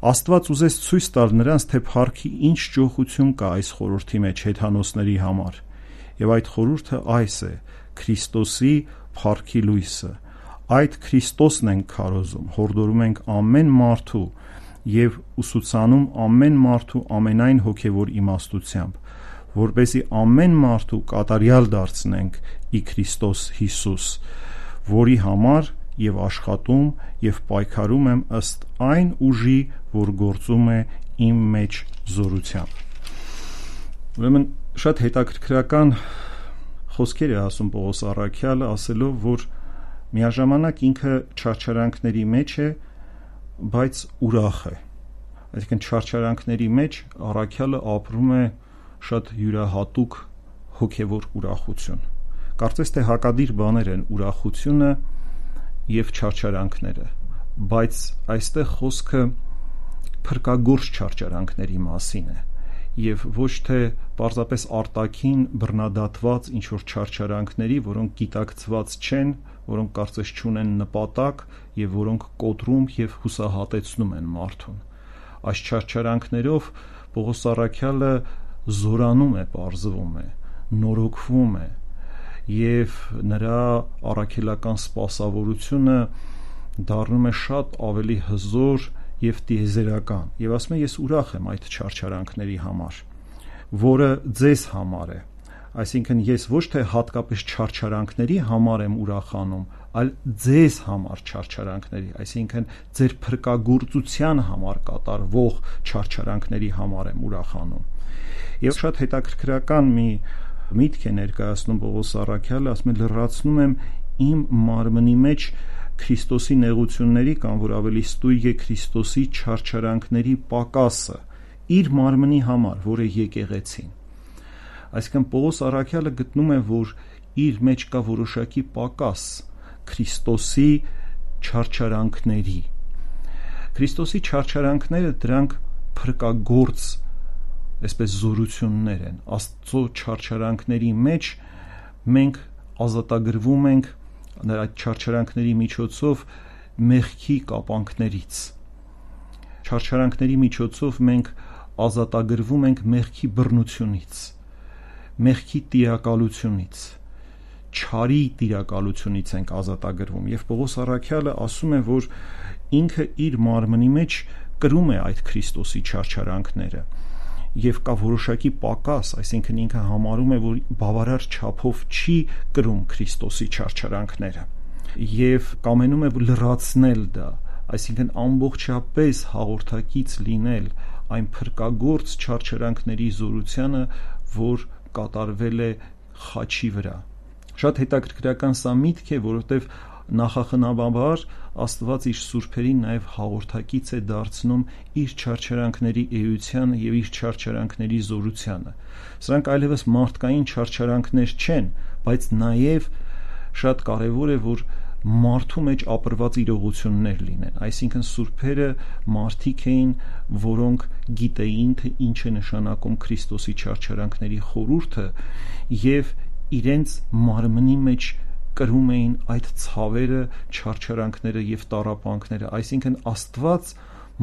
Speaker 2: Աստված ուզեց ցույց տալ նրանց, թե փառքի ինչ ճոխություն կա այս խորհրդի մեջ հեթանոսների համար, եւ այդ խորհուրդը այս է՝ Քրիստոսի փառքի լույսը։ Այդ Քրիստոսն ենք քարոզում, հորդորում ենք ամեն մարդու եւ ուսուցանում ամեն մարդու ամենայն հոգեվոր իմաստությամբ, որպեսզի ամեն մարդու կատարյալ դարձնենք ի Քրիստոս Հիսուս, որի համար եւ աշխատում եւ պայքարում եմ ըստ այն ուժի, որ գործում է իմ մեջ զորությամբ»։ Ուրեմն շատ հետաքրքրական խոսքեր է ասում Պողոս առաքյալը, ասելով, որ միաժամանակ ինքը չարչարանքների մեջ է, բայց ուրախ է։ Այսինքն չարչարանքների մեջ առաքյալը ապրում է շատ յուրահատուկ հոգևոր ուրախություն։ Կարծես թե հակադիր բաներ են ուրախությունը եւ չարչարանքները, բայց այստեղ խոսքը փրկագործ չարչարանքների մասին է եւ ոչ թե պարզապես արտաքին բռնադատված ինչ որ չարչարանքների, որոնք գիտակցված չեն, որոնք կարծես չունեն նպատակ եւ որոնք կոտրում եւ հուսահատեցնում են մարդուն։ Այս չարչարանքներով Պողոս առաքյալը զորանում է, պարզվում է, նորոգվում է եւ նրա առաքելական սպասավորությունը դառնում է շատ ավելի հզոր եւ տիեզերական, եւ ասում է ես ուրախ եմ այդ չարչարանքների համար, որը ձեզ համար է։ Այսինքն ես ոչ թե հատկապես չարչարանքների համար եմ ուրախանում, այլ ձեզ համար չարչարանքների, այսինքն ձեր փրկագործության համար կատարվող չարչարանքների համար եմ ուրախանում։ Եվ շատ հետաքրքրական մի միտք է ներկայացնում Պողոս առաքյալը, ասում է լրացնում եմ իմ մարմնի մեջ Քրիստոսի նեղությունների կամ որ ավելի ստույգ է Քրիստոսի չարչարանքների պակասը իր մարմնի համար, որը եկեղեցին։ Այսինքն Պողոս առաքյալը գտնում է, որ իր մեջ կա որոշակի պակաս Քրիստոսի չարչարանքների։ Քրիստոսի չարչարանքները դրանք փրկագործ այսպես զորություններ են։ Աստծո չարչարանքների մեջ մենք ազատագրվում ենք նրա չարչարանքների միջոցով մեղքի կապանքներից։ Չարչարանքների միջոցով մենք ազատագրվում ենք մեղքի բռնությունից, մեղքի տիրակալությունից, չարի տիրակալությունից ենք ազատագրվում։ Եվ Պողոս առաքյալը ասում է, որ ինքը իր մարմնի մեջ կրում է այդ Քրիստոսի չարչարանքները եւ կա որոշակի պակաս, այսինքն ինքը համարում է, որ բավարար չափով չի կրում Քրիստոսի չարչարանքները եւ կամենում է լրացնել դա, այսինքն ամբողջապես հաղորդակից լինել այն փրկագործ չարչարանքների զորությանը, որ կատարվել է խաչի վրա։ Շատ հետաքրքրական սա միտք է, որովհետեւ նախախնամաբար Աստված իր սուրբերին նաև հաղորդակից է դարձնում իր չարչարանքների էությանը եւ իր չարչարանքների զորությանը։ Սրանք այլևս մարդկային չարչարանքներ չեն, բայց նաև շատ կարեւոր է, որ մարդու մեջ ապրված իրողություններ լինեն, այսինքն սուրբերը մարդիկ էին, որոնք գիտեին, թե ինչ է նշանակում Քրիստոսի չարչարանքների խորհուրդը եւ իրենց մարմնի մեջ կրում էին այդ ցավերը, չարչարանքները եւ տառապանքները, այսինքն Աստված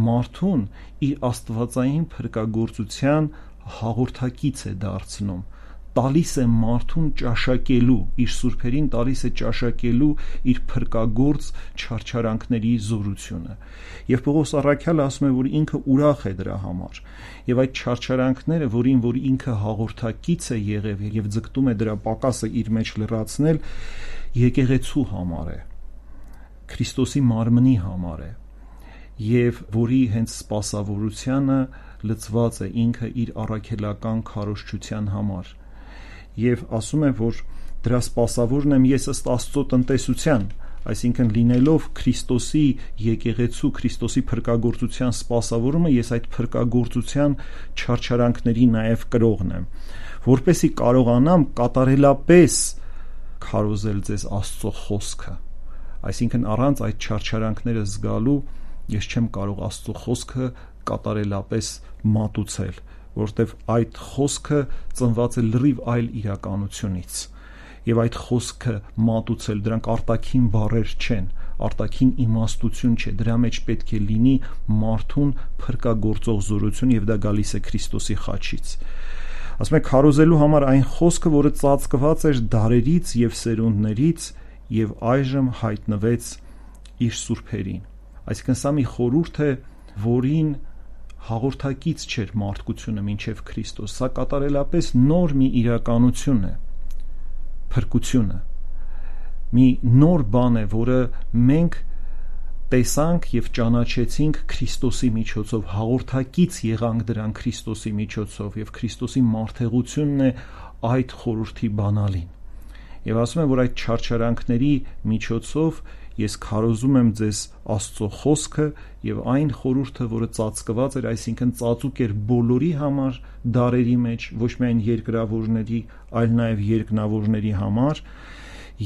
Speaker 2: մարդուն իր աստվածային փրկագործության հաղորդակից է դարձնում, տալիս է մարդուն ճաշակելու, իր սուրբերին տալիս է ճաշակելու իր փրկագործ չարչարանքների զորությունը։ Եվ Պողոս առաքյալը ասում է, որ ինքը ուրախ է դրա համար։ Եվ այդ չարչարանքները, որին որ ինքը հաղորդակից է եղել եւ ձգտում է դրա պակասը իր մեջ լրացնել, եկեղեցու համար է, Քրիստոսի մարմնի համար է, եւ որի հենց սպասավորությանը լծված է ինքը իր առաքելական քարոզչության համար։ Եվ ասում է, որ դրա սպասավորն եմ ես ըստ Աստծո տնտեսության, այսինքն լինելով Քրիստոսի եկեղեցու, Քրիստոսի փրկagorցության սպասավորումը, ես այդ փրկagorցության չարչարանքների նաև կրողն եմ, որպեսզի կարողանամ կատարելապես քարոզել ձեզ Աստծո խոսքը։ Այսինքն առանց այդ չարչարանքները զգալու ես չեմ կարող Աստծո խոսքը կատարելապես մատուցել, որտեվ այդ խոսքը ծնված է լրիվ այլ իրականությունից, եւ այդ խոսքը մատուցել, դրանք արտաքին բառեր չեն, արտաքին իմաստություն չէ, դրա մեջ պետք է լինի մարդուն փրկagorցող զորություն, եւ դա գալիս է Քրիստոսի խաչից։ Ասում է քարոզելու համար այն խոսքը, որը ծածկված էր դարերից եւ սերունդներից եւ այժմ հայտնվեց իր սուրբերին։ Այսինքն սա մի խորհուրդ է, որին հաղորդակից չէր մարդկությունը մինչև Քրիստոս, սա կատարելապես նոր մի իրականություն է, փրկությունը, մի նոր բան է, որը մենք տեսանք եւ ճանաչեցինք Քրիստոսի միջոցով, հաղորդակից եղանք դրան Քրիստոսի միջոցով, եւ Քրիստոսի մարդեղությունն է այդ խորհրդի բանալին։ Եվ ասում եմ, որ այդ չարչարանքների միջոցով ես քարոզում եմ ձեզ Աստծո խոսքը եւ այն խորհուրդը, որը ծածկված էր, այսինքն ծածուկ էր բոլորի համար դարերի մեջ, ոչ միայն երկրավորների, այլ նաեւ երկնավորների համար,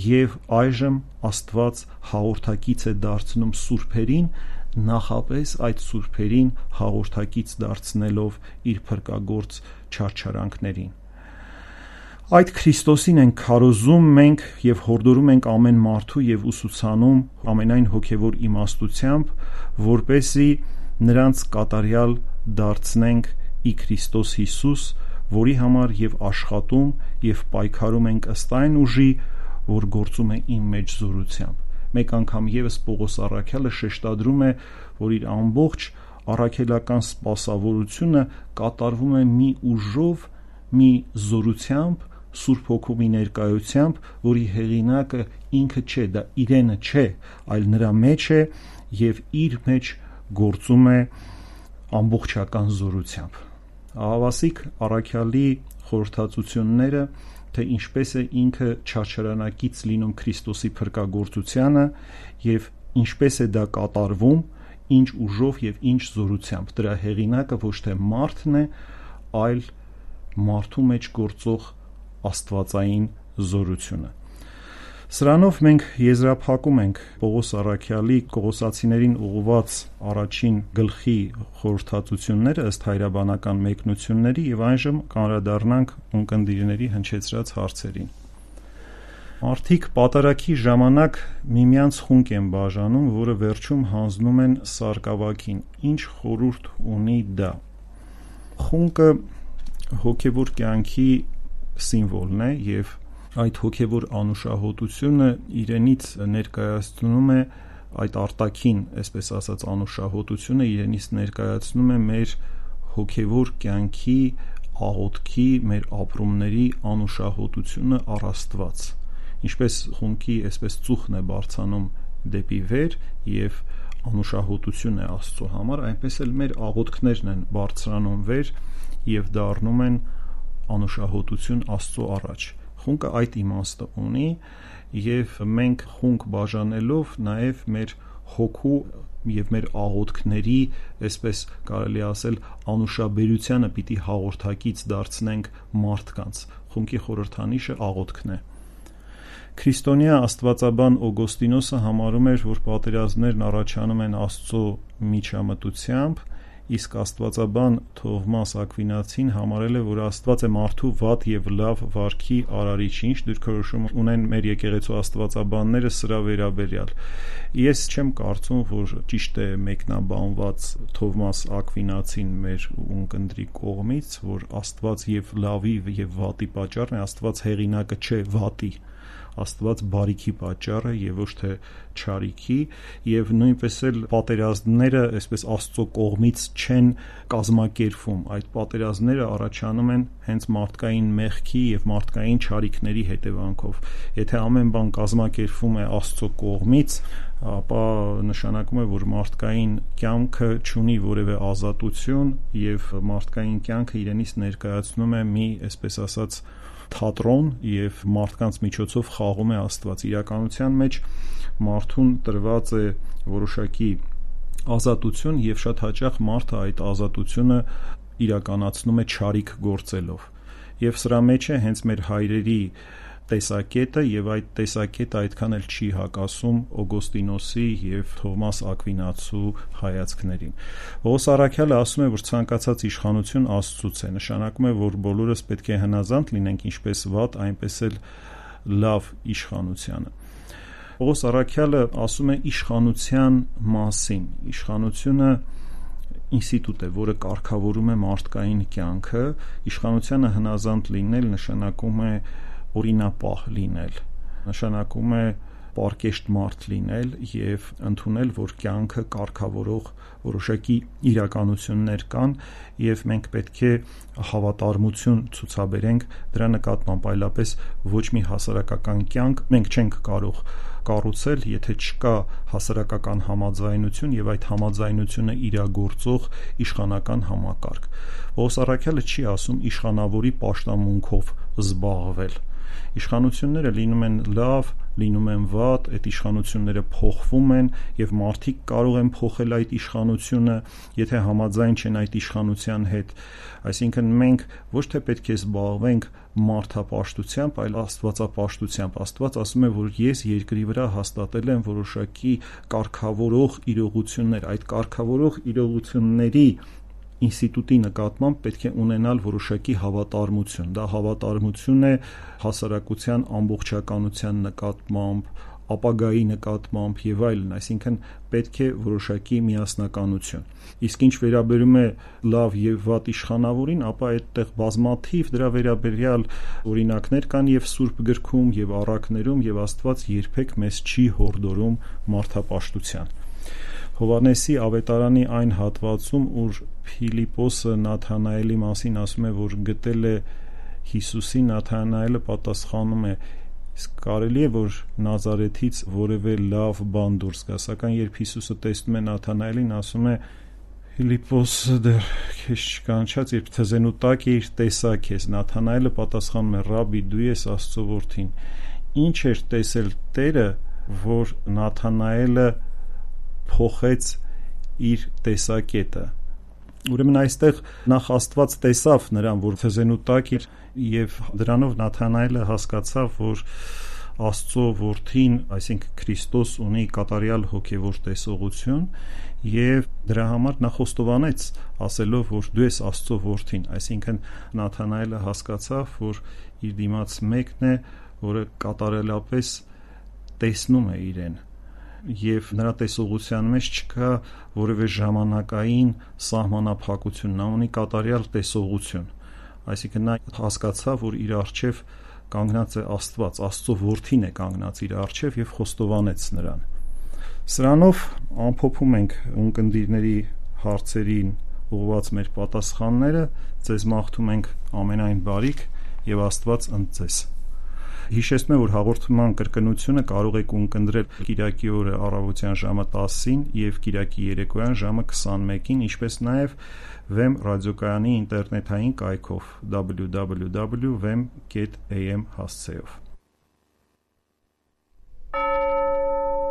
Speaker 2: եւ այժմ Աստված հաղորդակից է դարձնում սուրբերին, նախապես այդ սուրբերին հաղորդակից դարձնելով իր փրկagorց չարչարանքներին։ Այդ Քրիստոսին ենք քարոզում մենք եւ հորդորում ենք ամեն մարդու եւ ուսուցանում ամենայն հոգեվոր իմաստությամբ, որպեսզի նրանց կատարյալ դարձնենք ի Քրիստոս Հիսուս, որի համար եւ աշխատում եւ պայքարում ենք ըստ այն ուժի, որ գործում է իմ մեջ զորությամբ։ Մեկ անգամ եւս Պողոս առաքյալը շեշտադրում է, որ իր ամբողջ առաքելական սպասավորությունը կատարվում է մի ուժով, մի զորությամբ, Սուրբ Հոգու մի ներկայությամբ, որի հեղինակը ինքը չէ, դա իրենը չէ, այլ նրա մեջ է եւ իր մեջ գործում է ամբողջական զորությամբ։ Ահավասիկ առաքյալի խորհրդածությունները, թե ինչպես է ինքը չարչարանակից լինում Քրիստոսի փրկagorցությանը եւ ինչպես է դա կատարվում, ինչ ուժով եւ ինչ զորությամբ։ Դրա հեղինակը ոչ թե մարդն է, այլ մարդու մեջ գործող աստվածային զորությունը։ Սրանով մենք եզրափակում ենք Պողոս առաքյալի Կողոսացիներին ուղղված առաջին գլխի խորհրդածությունները ըստ հայրաբանական մեկնությունների եւ այժմ կանդրադառնանք ունկնդիրների հնչեցրած հարցերին։ Մարդիկ պատարագի ժամանակ միմյանց խունկ են բաժանում, որը վերջում հանձնում են սարկավակին։ Ինչ խորհուրդ ունի դա։ Խունկը հոգեվոր կյանքի սիմվոլն է եւ այդ հոգեվոր անուշահոտությունը իրենից ներկայացնում է այդ արտաքին, այսպես ասած, անուշահոտությունը իրենից ներկայացնում է մեր հոգեվոր կյանքի աղոթքի, մեր ապրումների անուշահոտությունը առ Աստված։ Ինչպես խունկի այսպես ծուխն է բարձանում դեպի վեր եւ անուշահոտություն է Աստծո համար, այնպես էլ մեր աղոթքներն են բարձրանում վեր եւ դառնում են անուշահոտություն Աստծո առաջ։ Խունկը այդ իմաստը ունի եւ մենք խունկ բաժանելով նաեւ մեր հոգու եւ մեր աղոթքների, այսպես կարելի ասել, անուշաբերությանը պիտի հաղորդակից դարձնենք մարդկանց։ Խունկի խորհրդանիշը աղոթքն է։ Քրիստոնյա աստվածաբան Օգոստինոսը համարում էր, որ պատերազմներն առաջանում են Աստծո միջամտությամբ իսկ աստվածաբան Թովմաս Ակվինացին համարել է, որ Աստված է մարդու վատ եւ լավ վարքի արարիչը, ինչ դիրքորոշում ունեն մեր եկեղեցու աստվածաբանները սրա վերաբերյալ։ Ես չեմ կարծում, որ ճիշտ է մեկնաբանված Թովմաս Ակվինացին մեր ունկնդրի կողմից, որ Աստված եւ լավի եւ վատի պատճառն է, Աստված հեղինակը չէ վատի, Աստված բարիքի պատճառը եւ ոչ թե չարիքի, եւ նույնպես էլ պատերազմները այսպես Աստծո կողմից չեն կազմակերպվում, այդ պատերազմները առաջանում են հենց մարդկային մեղքի եւ մարդկային չարիքների հետևանքով։ Եթե ամեն բան կազմակերպվում է Աստծո կողմից, ապա նշանակում է, որ մարդկային կյանքը չունի որևէ ազատություն եւ մարդկային կյանքը իրենից ներկայացնում է մի, այսպես ասած, թատրոն եւ մարդկանց միջոցով խաղում է Աստված։ Իրականության մեջ մարդուն տրված է որոշակի ազատություն եւ շատ հաճախ մարդը այդ ազատությունը իրականացնում է չարիք գործելով։ Եվ սրա մեջ է հենց մեր հայրերի տեսակետը եւ այդ տեսակետը այդքան էլ չի հակասում Օգոստինոսի եւ Թովմաս Ակվինացու հայացքներին։ Պողոս առաքյալը ասում է, որ ցանկացած իշխանություն Աստծուց է, նշանակում է, որ բոլորս պետք է հնազանդ լինենք ինչպես վատ, այնպես էլ լավ իշխանությանը։ Պողոս առաքյալը ասում է իշխանության մասին։ Իշխանությունը ինստիտուտ է, որը կարգավորում է մարդկային կյանքը, իշխանությանը հնազանդ լինել նշանակում է օրինապահ լինել, նշանակում է պարկեշտ մարդ լինել եւ ընդունել, որ կյանքը կարգավորող որոշակի իրականություններ կան եւ մենք պետք է հավատարմություն ցուցաբերենք դրա նկատմամբ, այլապես ոչ մի հասարակական կյանք մենք չենք կարող կառուցել, եթե չկա հասարակական համաձայնություն եւ այդ համաձայնությունը իրագործող իշխանական համակարգ։ Պողոս առաքյալը չի ասում իշխանավորի պաշտամունքով զբաղվել։ Իշխանությունները լինում են լավ, լինում են վատ, այդ իշխանությունները փոխվում են եւ մարդիկ կարող են փոխել այդ իշխանությունը, եթե համաձայն չեն այդ իշխանության հետ։ Այսինքն մենք ոչ թե պետք է զբաղվենք մարդապաշտությամբ, այլ աստվածապաշտությամբ։ Աստված ասում է, որ ես երկրի վրա հաստատել եմ որոշակի կարգավորող իրողություններ, այդ կարգավորող իրողությունների ինստիտուտի նկատմամբ պետք է ունենալ որոշակի հավատարմություն։ Դա հավատարմություն է հասարակության ամբողջականության նկատմամբ, ապագայի նկատմամբ եւ այլն, այսինքն պետք է որոշակի միասնականություն։ Իսկ ինչ վերաբերում է լավ եւ վատ իշխանավորին, ապա այդտեղ բազմաթիվ դրա վերաբերյալ օրինակներ կան եւ Սուրբ գրքում եւ առակներում եւ Աստված երբեք մեզ չի հորդորում մարդապաշտության։ Հովհաննեսի ավետարանի այն հատվածում, ուր Փիլիպոսը Նաթանայելի մասին ասում է, որ գտել է Հիսուսի, Նաթանայելը պատասխանում է. իսկ կարելի է, որ Նազարեթից որևէ լավ բան դուրս գա, սակայն երբ Հիսուսը տեսնում է Նաթանայելին, ասում է. Փիլիպոս, դեռ քեզ չկանչած, երբ թզենու տակ էիր, տեսա քեզ։ Նաթանայելը պատասխանում է. Ռաբի, դու ես Աստծո որդին։ Ինչ էր տեսել Տերը, որ Նաթանայելը փոխեց իր տեսակետը։ Ուրեմն այստեղ նախ Աստված տեսավ նրան, որ թզենու տակ էր, եւ դրանով Նաթանայելը հասկացավ, որ Աստծո որդին, այսինքն Քրիստոս, ունի կատարյալ հոգևոր տեսողություն եւ դրա համար նա խոստովանեց, ասելով, որ դու ես Աստծո որդին, այսինքն Նաթանայելը հասկացավ, որ իր դիմաց մեկն է, որը կատարելապես տեսնում է իրեն եւ նրա տեսողության մեջ չկա որևէ ժամանակային սահմանափակություն, նա ունի կատարյալ տեսողություն, այսինքն նա հասկացավ, որ իր առջև կանգնած է Աստված, Աստծո որդին է կանգնած իր առջև եւ խոստովանեց նրան։ Սրանով ամփոփում ենք ունկնդիրների հարցերին ուղղված մեր պատասխանները, ձեզ մաղթում ենք ամենայն բարիք եւ Աստված ընդ ձեզ։ Հիշեցնում եմ, որ հաղորդման կրկնությունը կարող եք ունկնդրել Կիրակի օրը առավոտյան ժամը տասին եւ Կիրակի երեկոյան ժամը քսանմեկին, ինչպես նաեւ Vem ռադիոկայանի ինտերնետային կայքով double-u double-u double-u dot vem dot a m հասցեով։
Speaker 3: Amen.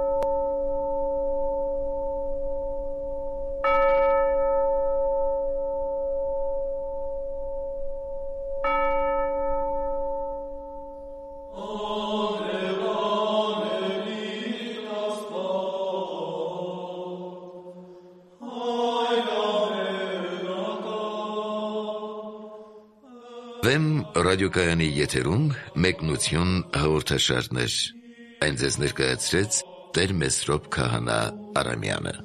Speaker 1: Վեմ ռադիոկայանի եթերում մեկնություն հաղորդաշարներ։ Այն ձեզ ներկայացրեց Տեր Մեսրոպ Քահանա Արամյանը։